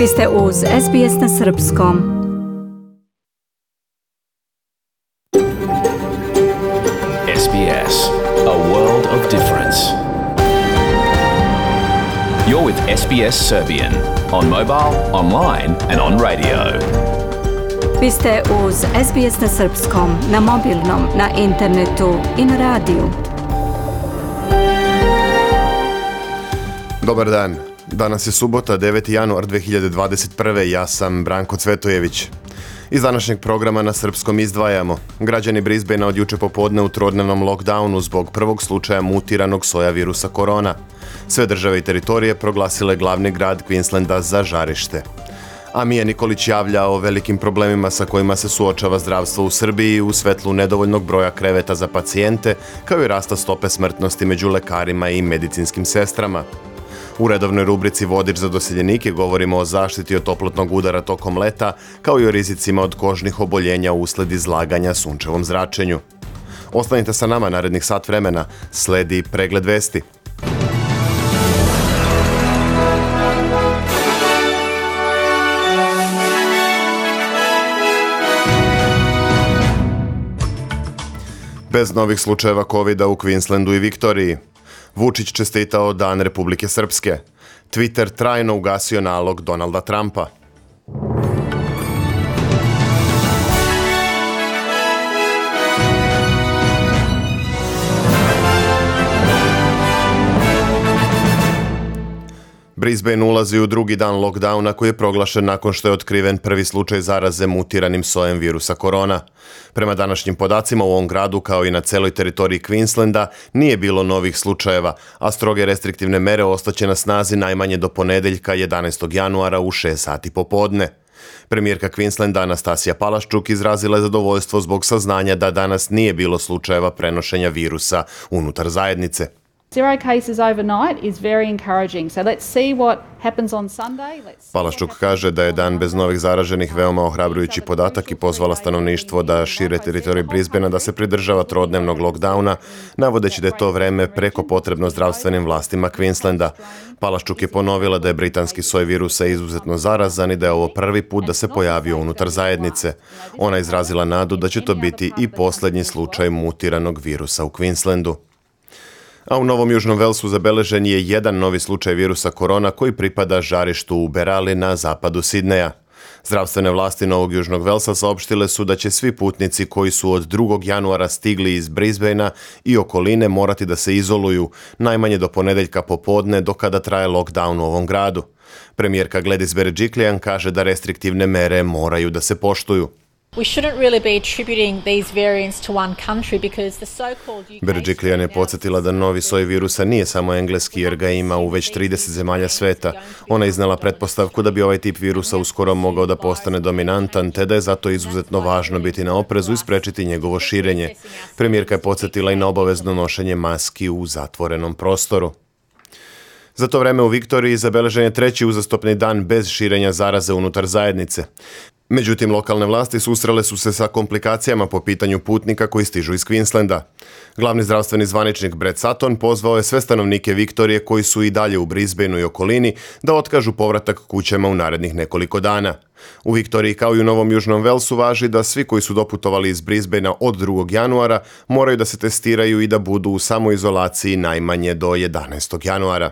Vi ste uz SBS na srpskom. SBS, a world of difference. You're with SBS Serbian on mobile, online and on radio. Vi ste uz SBS na srpskom, na mobilnom, na internetu i na radiju. Dobar dan. Danas je subota, 9. januar 2021. Ja sam Branko Cvetojević. Iz današnjeg programa na srpskom izdvajamo. Građani Brisbanea od juče popodne u trodnevnom lockdownu zbog prvog slučaja mutiranog soja virusa korona. Sve države i teritorije proglasile glavni grad Queenslanda za žarište. A Mija Nikolić javlja o velikim problemima sa kojima se suočava zdravstvo u Srbiji u svetlu nedovoljnog broja kreveta za pacijente, kao i rasta stope smrtnosti među lekarima i medicinskim sestrama. U redovnoj rubrici Vodič za doseljenike govorimo o zaštiti od toplotnog udara tokom leta, kao i o rizicima od kožnih oboljenja usled izlaganja sunčevom zračenju. Ostanite sa nama narednih sat vremena, sledi pregled vesti. Bez novih slučajeva COVID-a u Queenslandu i Viktoriji. Vučić čestitao Dan Republike Srpske. Twitter trajno ugasio nalog Donalda Trumpa. Brisbane ulazi u drugi dan lockdowna koji je proglašen nakon što je otkriven prvi slučaj zaraze mutiranim sojem virusa korona. Prema današnjim podacima u ovom gradu kao i na celoj teritoriji Queenslanda nije bilo novih slučajeva, a stroge restriktivne mere ostaće na snazi najmanje do ponedeljka 11. januara u 6 sati popodne. Premijerka Queenslanda Anastasija Palaščuk izrazila je zadovoljstvo zbog saznanja da danas nije bilo slučajeva prenošenja virusa unutar zajednice. Zero cases overnight is very encouraging. So let's see what happens on Sunday. Palaščuk kaže da je dan bez novih zaraženih veoma ohrabrujući podatak i pozvala stanovništvo da šire teritoriju Brisbanea da se pridržava trodnevnog lockdowna, navodeći da je to vreme preko potrebno zdravstvenim vlastima Queenslanda. Palaščuk je ponovila da je britanski soj virusa izuzetno zarazan i da je ovo prvi put da se pojavio unutar zajednice. Ona je izrazila nadu da će to biti i posljednji slučaj mutiranog virusa u Queenslandu. A u Novom Južnom Velsu zabeležen je jedan novi slučaj virusa korona koji pripada žarištu u Berali na zapadu Sidneja. Zdravstvene vlasti Novog Južnog Velsa saopštile su da će svi putnici koji su od 2. januara stigli iz Brisbanea i okoline morati da se izoluju najmanje do ponedeljka popodne do kada traje lockdown u ovom gradu. Premijerka Gladys Berejiklian kaže da restriktivne mere moraju da se poštuju. Berejiklian je podsjetila da novi soj virusa nije samo engleski jer ga ima u već 30 zemalja sveta. Ona je iznala pretpostavku da bi ovaj tip virusa uskoro mogao da postane dominantan, te da je zato izuzetno važno biti na oprezu i sprečiti njegovo širenje. Premijerka je podsjetila i na obavezno nošenje maski u zatvorenom prostoru. Za to vreme u Viktoriji zabeležen je treći uzastopni dan bez širenja zaraze unutar zajednice. Međutim, lokalne vlasti susrele su se sa komplikacijama po pitanju putnika koji stižu iz Queenslanda. Glavni zdravstveni zvaničnik Brett Sutton pozvao je sve stanovnike Viktorije koji su i dalje u Brisbaneu i okolini da otkažu povratak kućama u narednih nekoliko dana. U Viktoriji kao i u Novom Južnom Velsu važi da svi koji su doputovali iz Brisbanea od 2. januara moraju da se testiraju i da budu u samoizolaciji najmanje do 11. januara.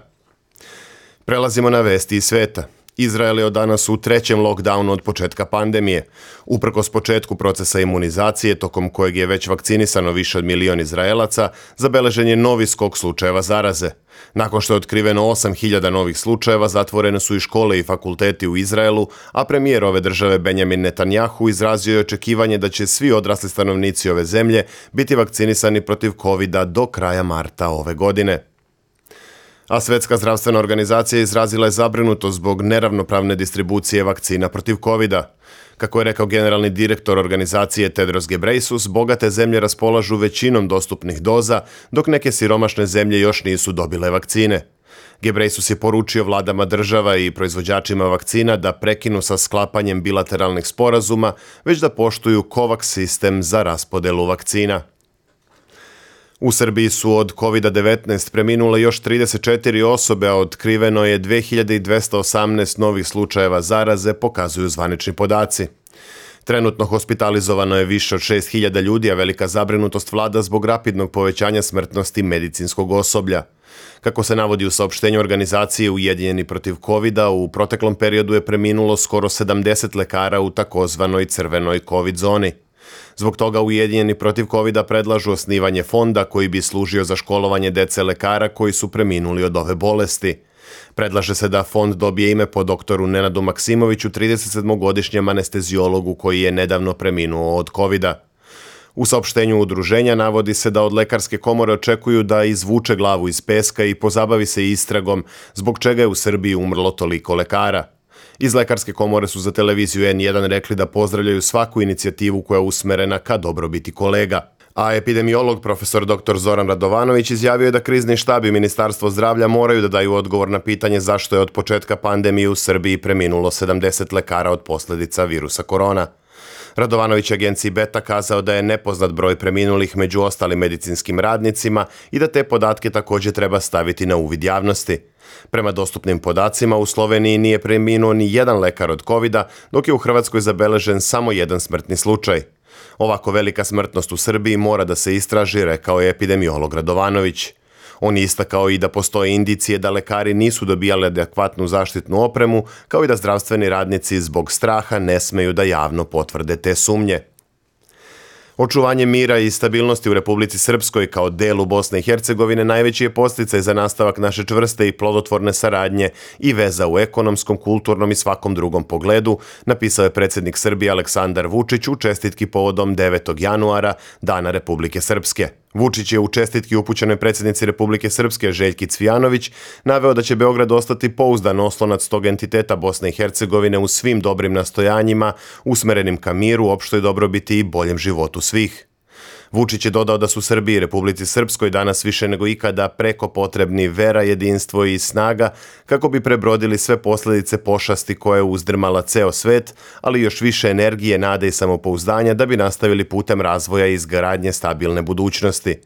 Prelazimo na vesti iz sveta. Izrael je od danas u trećem lockdownu od početka pandemije. Uprkos početku procesa imunizacije, tokom kojeg je već vakcinisano više od 1 milion Izraelaca, zabeležen je novi skok slučajeva zaraze. Nakon što je otkriveno 8.000 novih slučajeva, zatvorene su i škole i fakulteti u Izraelu, a premijer ove države Benjamin Netanjahu izrazio je očekivanje da će svi odrasli stanovnici ove zemlje biti vakcinisani protiv COVID-a do kraja marta ove godine. A Svjetska zdravstvena organizacija izrazila je zabrinutost zbog neravnopravne distribucije vakcina protiv COVID-a. Kako je rekao generalni direktor organizacije Tedros Ghebreyesus, bogate zemlje raspolažu većinom dostupnih doza, dok neke siromašne zemlje još nisu dobile vakcine. Ghebreyesus je poručio vladama država i proizvođačima vakcina da prekinu sa sklapanjem bilateralnih sporazuma, već da poštuju COVAX sistem za raspodelu vakcina. U Srbiji su od COVID-19 preminule još 34 osobe, a otkriveno je 2218 novih slučajeva zaraze, pokazuju zvanični podaci. Trenutno hospitalizovano je više od 6000 ljudi, a velika zabrinutost vlada zbog rapidnog povećanja smrtnosti medicinskog osoblja. Kako se navodi u saopštenju organizacije Ujedinjeni protiv covida, u proteklom periodu je preminulo skoro 70 lekara u takozvanoj crvenoj covid zoni. Zbog toga Ujedinjeni protiv covida predlažu osnivanje fonda koji bi služio za školovanje dece lekara koji su preminuli od ove bolesti. Predlaže se da fond dobije ime po doktoru Nenadu Maksimoviću, 37-godišnjem anesteziologu koji je nedavno preminuo od covida. U saopštenju udruženja navodi se da od lekarske komore očekuju da izvuče glavu iz peska i pozabavi se istragom zbog čega je u Srbiji umrlo toliko lekara. Iz lekarske komore su za televiziju N1 rekli da pozdravljaju svaku inicijativu koja je usmerena ka dobrobiti kolega. A epidemiolog profesor dr. Zoran Radovanović izjavio je da krizni štab i Ministarstvo zdravlja moraju da daju odgovor na pitanje zašto je od početka pandemije u Srbiji preminulo 70 lekara od posljedica virusa korona. Radovanović je agenciji Beta kazao da je nepoznat broj preminulih među ostalim medicinskim radnicima i da te podatke također treba staviti na uvid javnosti. Prema dostupnim podacima, u Sloveniji nije preminuo ni jedan lekar od covida, dok je u Hrvatskoj zabeležen samo jedan smrtni slučaj. Ovako velika smrtnost u Srbiji mora da se istraži, rekao je epidemiolog Radovanović. On je istakao i da postoje indicije da lekari nisu dobijali adekvatnu zaštitnu opremu, kao i da zdravstveni radnici zbog straha ne smeju da javno potvrde te sumnje. Očuvanje mira i stabilnosti u Republici Srpskoj kao delu Bosne i Hercegovine najveći je podsticaj za nastavak naše čvrste i plodotvorne saradnje i veza u ekonomskom, kulturnom i svakom drugom pogledu, napisao je predsjednik Srbije Aleksandar Vučić u čestitki povodom 9. januara, Dana Republike Srpske. Vučić je u čestitki upućenoj predsjednici Republike Srpske Željki Cvijanović naveo da će Beograd ostati pouzdan oslonac tog entiteta Bosne i Hercegovine u svim dobrim nastojanjima, usmerenim ka miru, opštoj dobrobiti i boljem životu svih. Vučić je dodao da su Srbiji i Republici Srpskoj danas više nego ikada preko potrebni vera, jedinstvo i snaga kako bi prebrodili sve posljedice pošasti koje je uzdrmala ceo svet, ali još više energije, nade i samopouzdanja da bi nastavili putem razvoja i izgradnje stabilne budućnosti.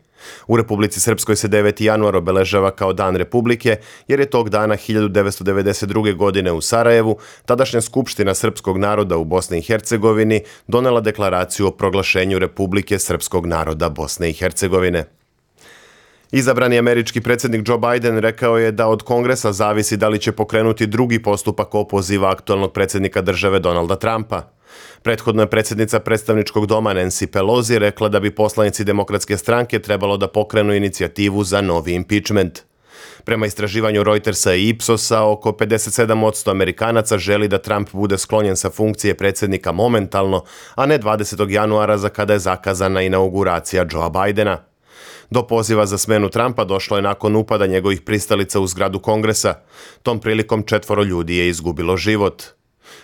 U Republici Srpskoj se 9. januar obeležava kao Dan Republike, jer je tog dana 1992. godine u Sarajevu tadašnja Skupština srpskog naroda u Bosni i Hercegovini donela deklaraciju o proglašenju Republike srpskog naroda Bosne i Hercegovine. Izabrani američki predsjednik Joe Biden rekao je da od Kongresa zavisi da li će pokrenuti drugi postupak opoziva aktualnog predsjednika države Donalda Trumpa. Prethodno je predsjednica predstavničkog doma Nancy Pelosi rekla da bi poslanici Demokratske stranke trebalo da pokrenu inicijativu za novi impeachment. Prema istraživanju Reutersa i Ipsosa, oko 57% Amerikanaca želi da Trump bude sklonjen sa funkcije predsjednika momentalno, a ne 20. januara za kada je zakazana inauguracija Joea Bidena. Do poziva za smenu Trumpa došlo je nakon upada njegovih pristalica u zgradu Kongresa. Tom prilikom 4 ljudi je izgubilo život.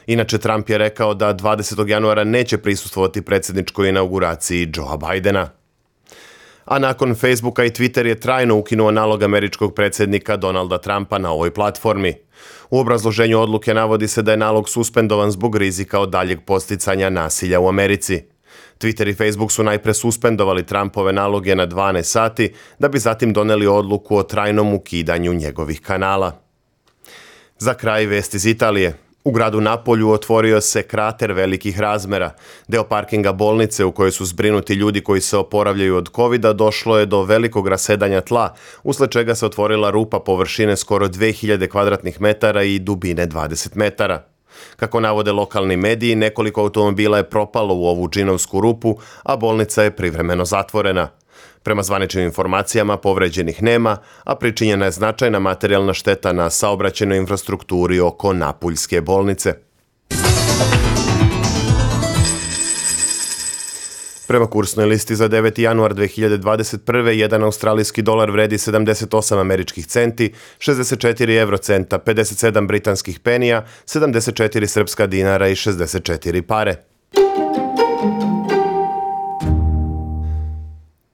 Inače, Trump je rekao da 20. januara neće prisustvovati predsjedničkoj inauguraciji Joea Bidena. A nakon Facebooka i Twitter je trajno ukinuo nalog američkog predsjednika Donalda Trumpa na ovoj platformi. U obrazloženju odluke navodi se da je nalog suspendovan zbog rizika od daljeg posticanja nasilja u Americi. Twitter i Facebook su najpre suspendovali Trumpove naloge na 12 sati, da bi zatim doneli odluku o trajnom ukidanju njegovih kanala. Za kraj vest iz Italije. U gradu Napolju otvorio se krater velikih razmera. Deo parkinga bolnice u kojoj su zbrinuti ljudi koji se oporavljaju od covida došlo je do velikog rasedanja tla, usled čega se otvorila rupa površine skoro 2000 kvadratnih metara i dubine 20 metara. Kako navode lokalni mediji, nekoliko automobila je propalo u ovu džinovsku rupu, a bolnica je privremeno zatvorena. Prema zvaničnim informacijama povređenih nema, a pričinjena je značajna materijalna šteta na saobraćajnoj infrastrukturi oko Napuljske bolnice. Prema kursnoj listi za 9. januar 2021. jedan australijski dolar vredi 78 američkih centi, 64 eurocenta, 57 britanskih penija, 74 srpska dinara i 64 pare.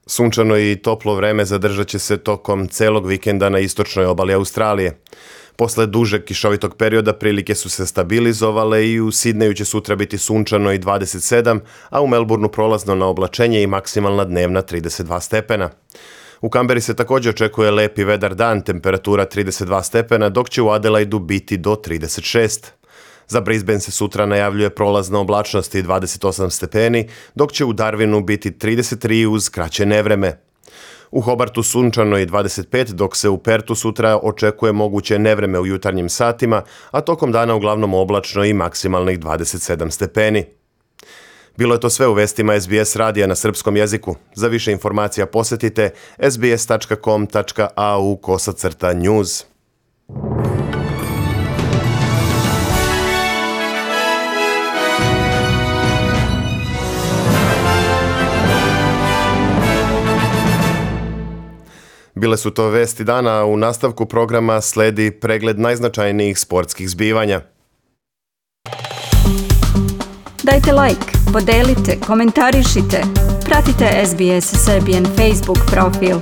Sunčano i toplo vreme zadržat će se tokom celog vikenda na istočnoj obali Australije. Posle dužeg kišovitog perioda prilike su se stabilizovale i u Sidneju će sutra biti sunčano i 27, a u Melbourneu prolazno na oblačenje i maksimalna dnevna 32 stepena. U Kamberi se također očekuje lepi vedar dan, temperatura 32 stepena, dok će u Adelaidu biti do 36. Za Brisbane se sutra najavljuje prolazna oblačnost i 28 stepeni, dok će u Darwinu biti 33 uz kraće nevreme. U Hobartu sunčano i 25, dok se u Pertu sutra očekuje moguće nevreme u jutarnjim satima, a tokom dana uglavnom oblačno i maksimalnih 27 stepeni. Bilo je to sve u vestima SBS radija na srpskom jeziku. Za više informacija posjetite sbs.com.au/news. Bile su to vesti dana, u nastavku programa sledi pregled najznačajnijih sportskih zbivanja. Dajte like, podelite, komentarišite. Pratite SBS Serbian Facebook profil.